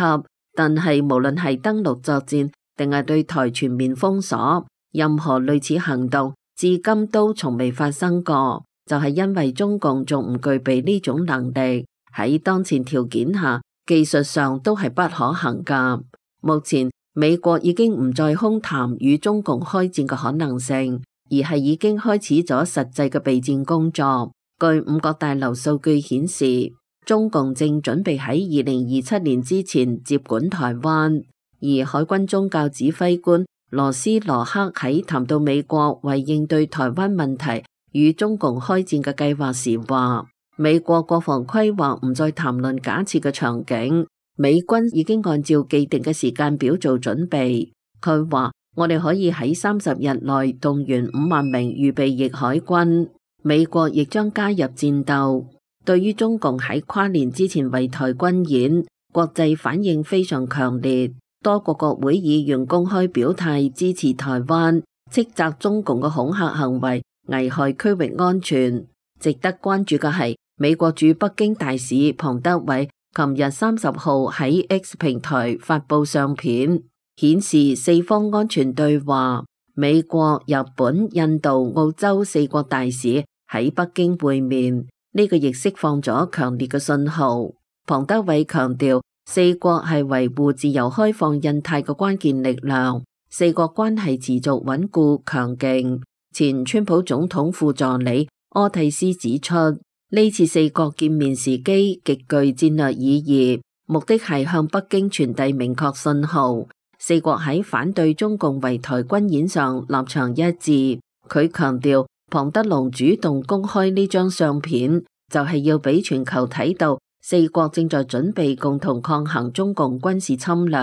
但係無論係登陸作戰定係對台全面封鎖，任何類似行動至今都從未發生過，就係因為中共仲唔具備呢種能力，喺當前條件下技術上都係不可行噶。目前美國已經唔再空談與中共開戰嘅可能性，而係已經開始咗實際嘅備戰工作。據五角大樓數據顯示，中共正準備喺二零二七年之前接管台灣。而海軍宗教指揮官羅斯羅克喺談到美國為應對台灣問題與中共開戰嘅計劃時話，美國國防規劃唔再談論假設嘅場景。美軍已經按照既定嘅時間表做準備。佢話，我哋可以喺三十日內動員五萬名預備役海軍，美國亦將加入戰鬥。對於中共喺跨年之前圍台軍演，國際反應非常強烈，多個國會議員公開表態支持台灣，斥責中共嘅恐嚇行為危害區域安全。值得關注嘅係，美國駐北京大使龐德偉琴日三十號喺 X 平台發佈相片，顯示四方安全對話，美國、日本、印度、澳洲四國大使喺北京會面，呢個亦釋放咗強烈嘅信號。龐德偉強調，四國係維護自由開放印太嘅關鍵力量，四國關係持續穩固強勁。前川普總統副助理柯蒂斯指出，呢次四國見面時機極具戰略意義，目的係向北京傳遞明確信號。四國喺反對中共圍台軍演上立場一致。佢強調，龐德龍主動公開呢張相片，就係要俾全球睇到四國正在準備共同抗衡中共軍事侵略。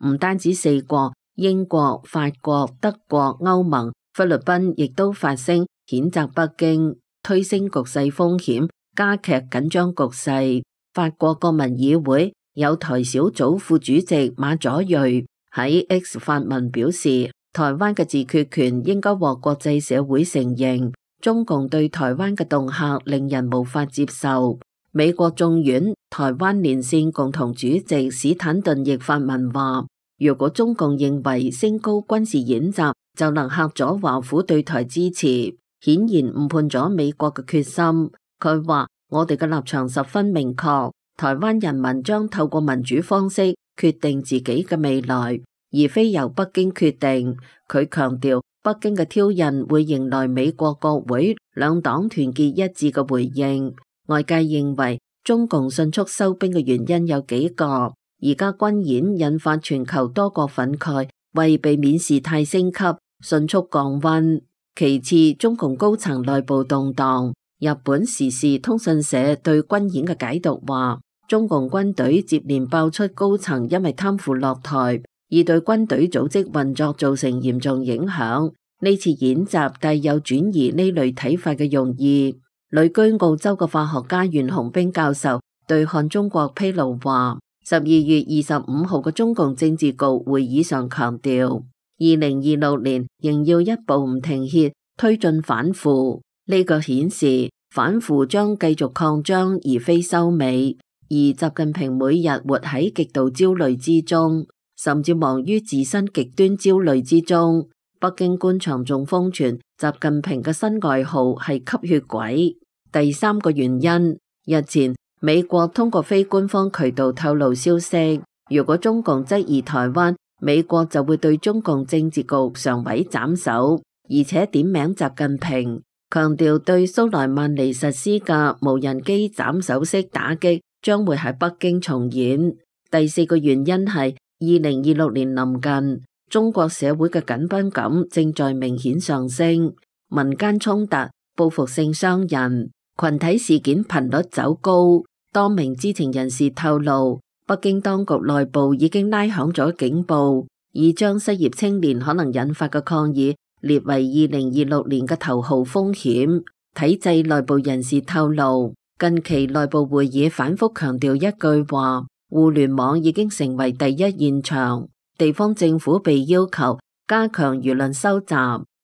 唔單止四國，英國、法國、德國、歐盟、菲律賓亦都發聲譴責北京，推升局勢風險，加劇緊張局勢。法國國民議會有台小組副主席馬佐瑞喺 X 發文表示，台灣嘅自決權應該獲國際社會承認，中共對台灣嘅恫嚇令人無法接受。美國眾院台灣連線共同主席史坦頓亦發文話，如果中共認為升高軍事演習就能嚇阻華府對台支持，顯然誤判咗美國嘅決心。佢話，我哋嘅立場十分明確，台灣人民將透過民主方式決定自己嘅未來，而非由北京決定。佢強調，北京嘅挑釁會迎來美國國會兩黨團結一致嘅回應。外界認為中共迅速收兵嘅原因有幾個，而家軍演引發全球多國憤慨，為避免事態升級，迅速降溫。其次，中共高層內部動盪。日本時事通訊社對軍演嘅解讀話，中共軍隊接連爆出高層因為貪腐落台，而對軍隊組織運作造成嚴重影響。呢次演習帶有轉移呢類睇法嘅用意。旅居澳洲嘅化學家袁洪兵教授對漢中國披露話，十二月二十五號嘅中共政治局會議上強調，二零二六年仍要一步唔停歇推進反腐。呢個顯示反腐將繼續擴張而非收尾，而習近平每日活喺極度焦慮之中，甚至忙於自身極端焦慮之中。北京官場仲瘋傳習近平嘅新外號係吸血鬼。第三個原因，日前美國通過非官方渠道透露消息，如果中共質疑台灣，美國就會對中共政治局常委斬首，而且點名習近平，強調對蘇萊曼尼實施嘅無人機斬首式打擊將會喺北京重演。第四個原因係二零二六年臨近，中國社會嘅緊繃感正在明顯上升，民間衝突、報復性傷人、群體事件頻率走高。多名知情人士透露，北京當局內部已經拉響咗警報，已將失業青年可能引發嘅抗議列為二零二六年嘅頭號風險。體制內部人士透露，近期內部會議反覆強調一句話：互聯網已經成為第一現場。地方政府被要求加強輿論收集，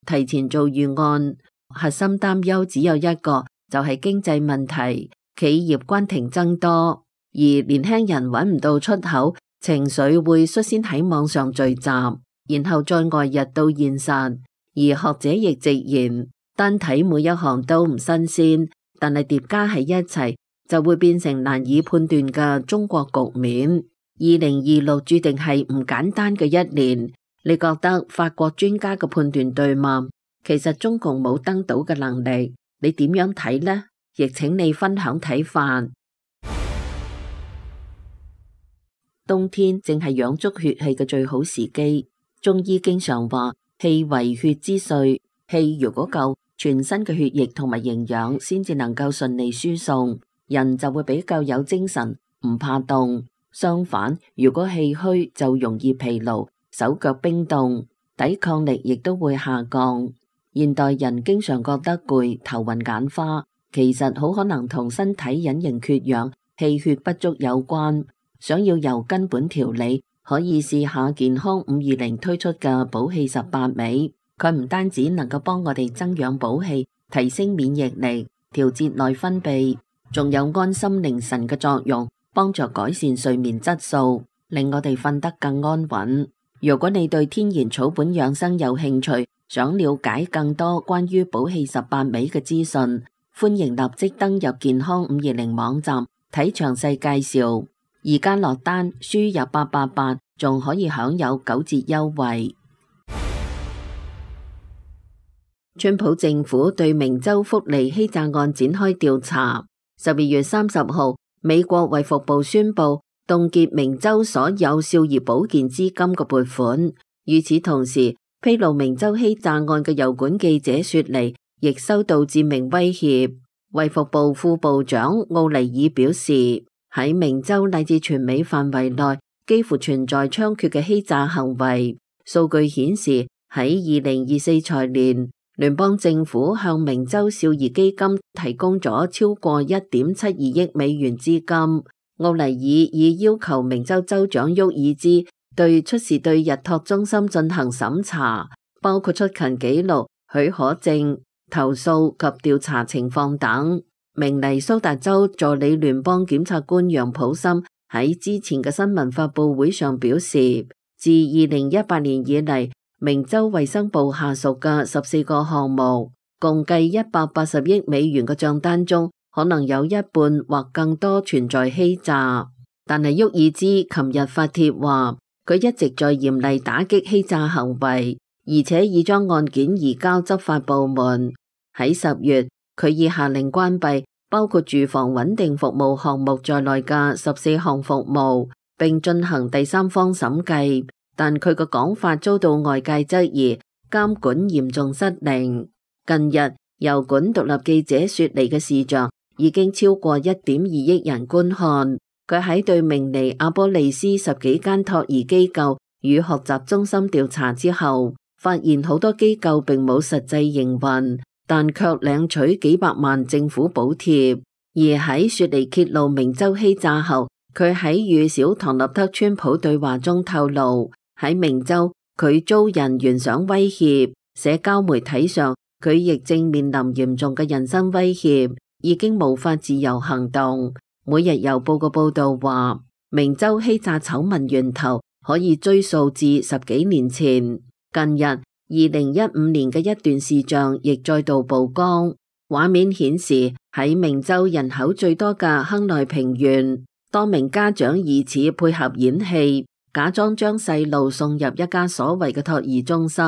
提前做預案。核心擔憂只有一個，就係經濟問題，企業關停增多，而年輕人揾唔到出口，情緒會率先喺網上聚集，然後再外溢到現實。而學者亦直言，單睇每一行都唔新鮮，但係疊加喺一齊就會變成難以判斷嘅中國局面。二零二六注定係唔簡單嘅一年。你覺得法國專家嘅判斷對嗎？其實中共冇登島嘅能力，你點樣睇呢？亦請你分享睇法。冬天正係養足血氣嘅最好時機。中醫經常話，氣為血之髓，氣如果夠，全身嘅血液同埋營養先至能夠順利輸送，人就會比較有精神，唔怕凍。相反，如果氣虛就容易疲勞，手腳冰凍，抵抗力亦都會下降。現代人經常覺得攰、頭暈眼花，其實好可能同身體隱形缺氧、氣血不足有關。想要由根本調理，可以試下健康五二零推出嘅補氣十八味。佢唔單止能夠幫我哋增養補氣、提升免疫力、調節內分泌，仲有安心寧神嘅作用，幫助改善睡眠質素，令我哋瞓得更安穩。如果你對天然草本養生有興趣，想了解更多關於補氣十八味嘅資訊，歡迎立即登入健康五二零網站睇詳細介紹。而家落單輸入八八八，仲可以享有九折優惠。川普政府對明州福利欺詐案展開調查。十二月三十號，美國衛福部宣布，凍結明州所有少兒保健資金嘅撥款。與此同時，披露明州欺詐案嘅油管記者雪梨亦收到致命威脅。衛福部副部長奧尼爾表示，喺明州乃至全美範圍內幾乎存在猖獗嘅欺詐行為。數據顯示，喺二零二四財年，聯邦政府向明州少兒基金提供咗超過一點七二億美元資金。奧尼爾已要求明州州長沃爾茲對出事對日托中心進行審查，包括出勤記錄、許可證、投訴及調查情況等。明尼蘇達州助理聯邦檢察官楊普森喺之前嘅新聞發佈會上表示，自二零一八年以嚟，明州衛生部下屬嘅十四個項目，共計一百八十億美元嘅賬單中，可能有一半或更多存在欺詐。但係沃爾茲琴日發帖話，佢一直在嚴厲打擊欺詐行為，而且已將案件移交執法部門。喺十月，佢已下令關閉包括住房穩定服務項目在內嘅十四項服務，並進行第三方審計。但佢嘅講法遭到外界質疑，監管嚴重失靈。近日，油管獨立記者雪梨嘅視像已經超過一點二億人觀看。佢喺對明尼阿波利斯十幾間托兒機構與學習中心調查之後，發現好多機構並冇實際營運，但卻領取幾百萬政府補貼。而喺雪梨揭露明州欺詐後，佢喺與小唐納德川普對話中透露，喺明州佢遭人懸賞威脅，社交媒體上佢亦正面臨嚴重嘅人身威脅，已經無法自由行動。每日郵報嘅報道話，明州欺詐醜聞源頭可以追溯至十幾年前。近日，二零一五年嘅一段視像亦再度曝光，畫面顯示喺明州人口最多嘅亨內平縣，多名家長疑似配合演戲，假裝將細路送入一家所謂嘅托兒中心，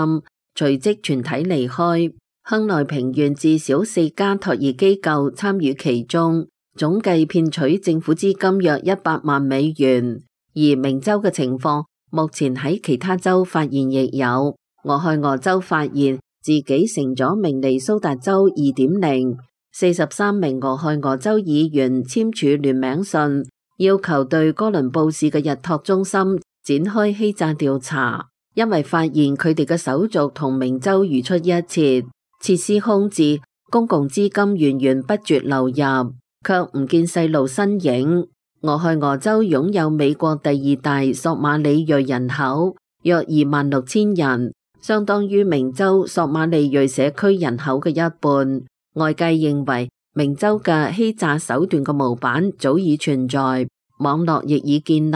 隨即全體離開。亨內平縣至少四家托兒機構參與其中，總計騙取政府資金約一百萬美元。而明州嘅情況目前喺其他州發現亦有。俄亥俄州發現自己成咗明尼蘇達州 二點零， 四十三名俄亥俄州議員簽署聯名信，要求對哥倫布市嘅日托中心展開欺詐調查，因為發現佢哋嘅手續同明州如出一轍，設施空置，公共資金源源不絕流入，卻唔見細路身影。俄亥俄州擁有美國第二大索馬里裔人口，約二萬六千人，相當於明州索馬里裔社區人口嘅一半。外界認為明州嘅欺詐手段嘅模板早已存在，網絡亦已建立，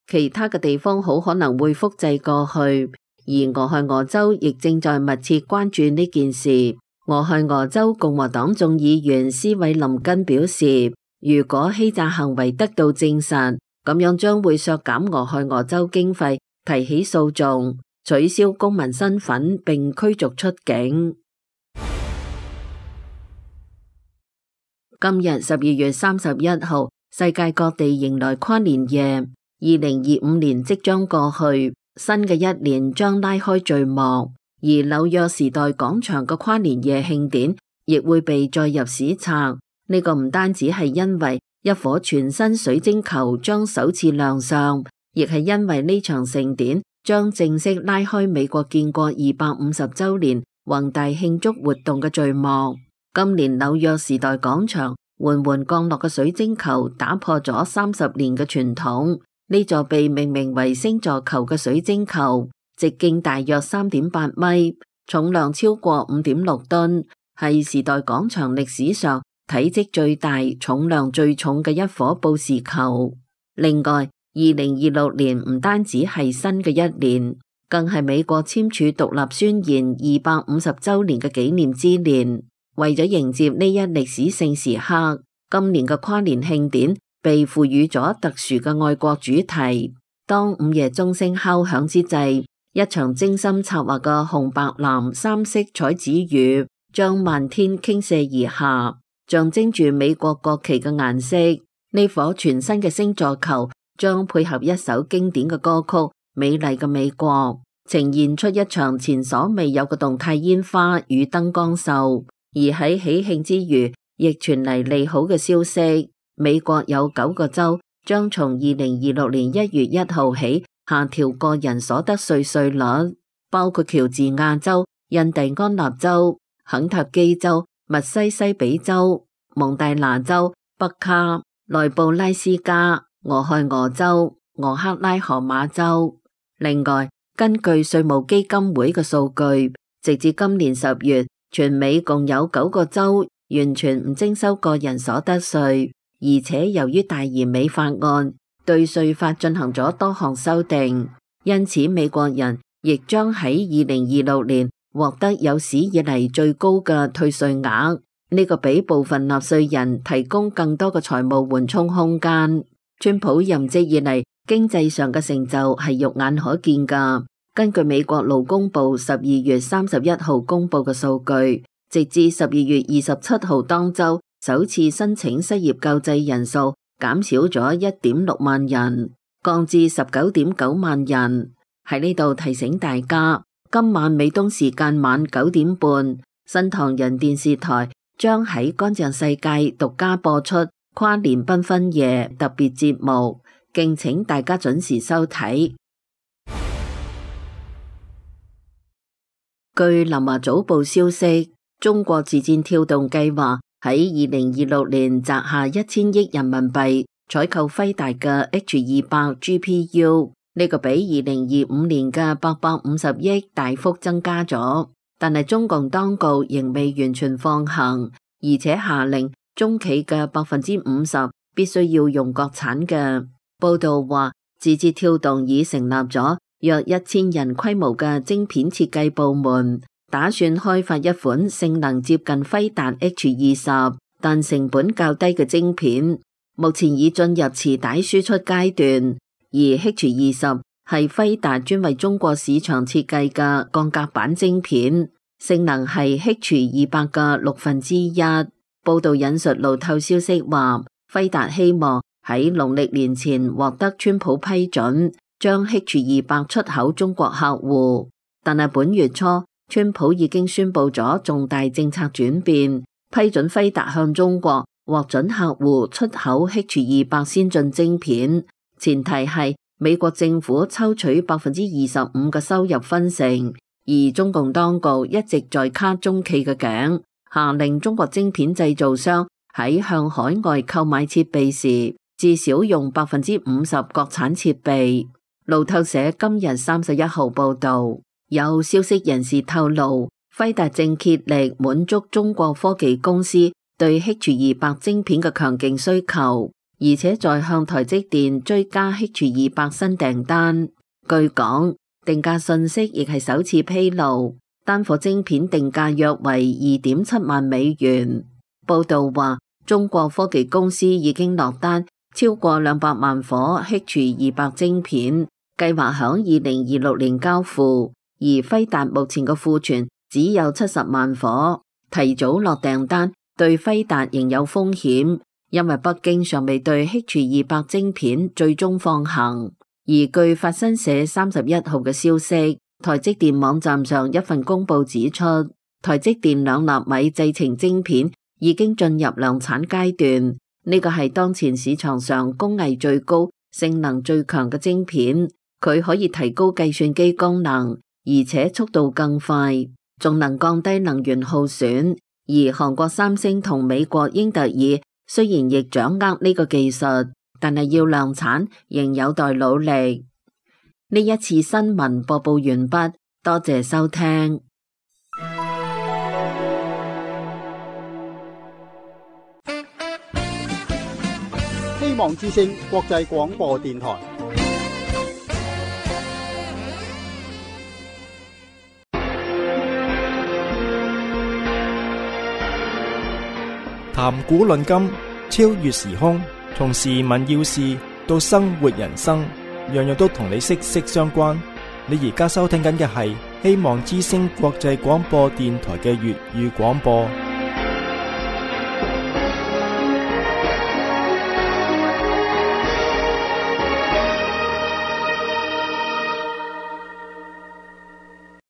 其他嘅地方好可能會複製過去。而俄亥俄州亦正在密切關注呢件事。俄亥俄州共和黨眾議員斯韋林根表示，如果欺詐行為得到證實，咁樣將會削減俄亥俄州經費，提起訴訟，取消公民身份並驅逐出境。今日十二月三十一號，世界各地迎來跨年夜。二零二五年即將過去，新嘅一年將拉開序幕，而紐約時代廣場嘅跨年夜慶典亦會被載入史冊。呢個唔單止係因為一顆全新水晶球將首次亮相，亦係因為呢場盛典將正式拉開美國建國二百五十週年宏大慶祝活動嘅序幕。今年紐約時代廣場緩緩降落嘅水晶球打破咗三十年嘅傳統。呢座被命名為星座球嘅水晶球，直徑大約三點八米，重量超過五點六噸，係時代廣場歷史上體積最大、重量最重嘅一顆報時球。另外，二零二六年唔單止係新嘅一年，更係美國簽署獨立宣言二百五十週年嘅紀念之年。為咗迎接呢一歷史性時刻，今年嘅跨年慶典被賦予咗特殊嘅愛國主題。當午夜鐘聲敲響之際，一場精心策劃嘅紅白藍三色彩紙雨將漫天傾瀉而下，象徵住美國國旗嘅顏色。呢顆全新嘅星座球將配合一首經典嘅歌曲《美麗嘅美國》，呈現出一場前所未有嘅動態煙花與燈光秀。而喺喜慶之餘，亦傳嚟利好嘅消息，美國有九個州將從二零二六年一月一號起下調個人所得稅稅率，包括喬治亞州、印第安納州、肯塔基州、密西西比州、蒙大拿州、北卡、內布拉斯加、俄亥俄州、俄克拉荷馬州。另外，根據稅務基金會嘅數據，直至今年十月，全美共有九個州完全唔徵收個人所得稅，而且由於大而美法案對稅法進行咗多項修訂，因此美國人亦將喺二零二六年獲得有史以嚟最高嘅退稅額。呢個俾部分納稅人提供更多嘅財務緩衝空間。川普任職以嚟，經濟上嘅成就係肉眼可見㗎。根據美國勞工部十二月三十一號公布嘅數據，直至十二月二十七號當周，首次申請失業救濟人數減少咗一點六萬人，降至十九點九萬人。喺呢度提醒大家，今晚美東時間晚九點半，新唐人電視台將喺乾淨世界獨家播出跨年繽紛夜特別節目，敬請大家準時收睇。據南華早報消息，中國自戰跳動計劃喺二零二六年砸下一千億人民幣採購輝達嘅 H 二百 G P U， 呢個比二零二五年嘅八百五十億大幅增加咗，但係中共當局仍未完全放行，而且下令中企嘅百分之五十必須要用國產嘅。報道話，字節跳動已成立咗約一千人規模嘅晶片設計部門，打算開發一款性能接近輝達 H 二十但成本較低嘅晶片，目前已進入磁帶輸出階段。而 H 二十係輝達專為中國市場設計嘅鋼格板晶片，性能係 H 二百嘅六分之一。報道引述路透消息話，輝達希望喺農曆年前獲得川普批准，將 H 二百出口中國客戶。但係本月初，川普已經宣布咗重大政策轉變，批准輝達向中國獲准客戶出口 H 二百先進晶片，前提係美國政府抽取百分之二十五嘅收入分成。而中共當局一直在卡中企嘅頸，下令中國晶片製造商喺向海外購買設備時，至少用百分之五十國產設備。路透社今日三十一號報道，有消息人士透露，輝達正竭力滿足中國科技公司對 H 二百晶片嘅強勁需求，而且在向台積電追加 H 二百新訂單。據講，定價信息亦係首次披露，單顆晶片定價約為二點七萬美元。報道話，中國科技公司已經落單超過兩百萬顆 H 二百晶片，計劃響二零二六年交付。而輝達目前嘅庫存只有七十萬顆，提早落訂單對輝達仍有風險，因為北京尚未對 H 二百晶片最終放行。而據法新社三十一號嘅消息，台積電網站上一份公報指出，台積電兩納米製程晶片已經進入量產階段，呢個係當前市場上工藝最高、性能最強嘅晶片，佢可以提高計算機功能，而且速度更快，仲能降低能源耗損。而韓國三星同美國英特爾雖然亦掌握呢個技術，但係要量產仍有待努力。呢一次新聞播報完畢，多謝收聽。希望之聲國際廣播電台。談古論今，超越時空，從時聞要事到生活人生，樣樣都同你息息相關。你而家收聽緊嘅係希望之聲國際廣播電台嘅粵語廣播。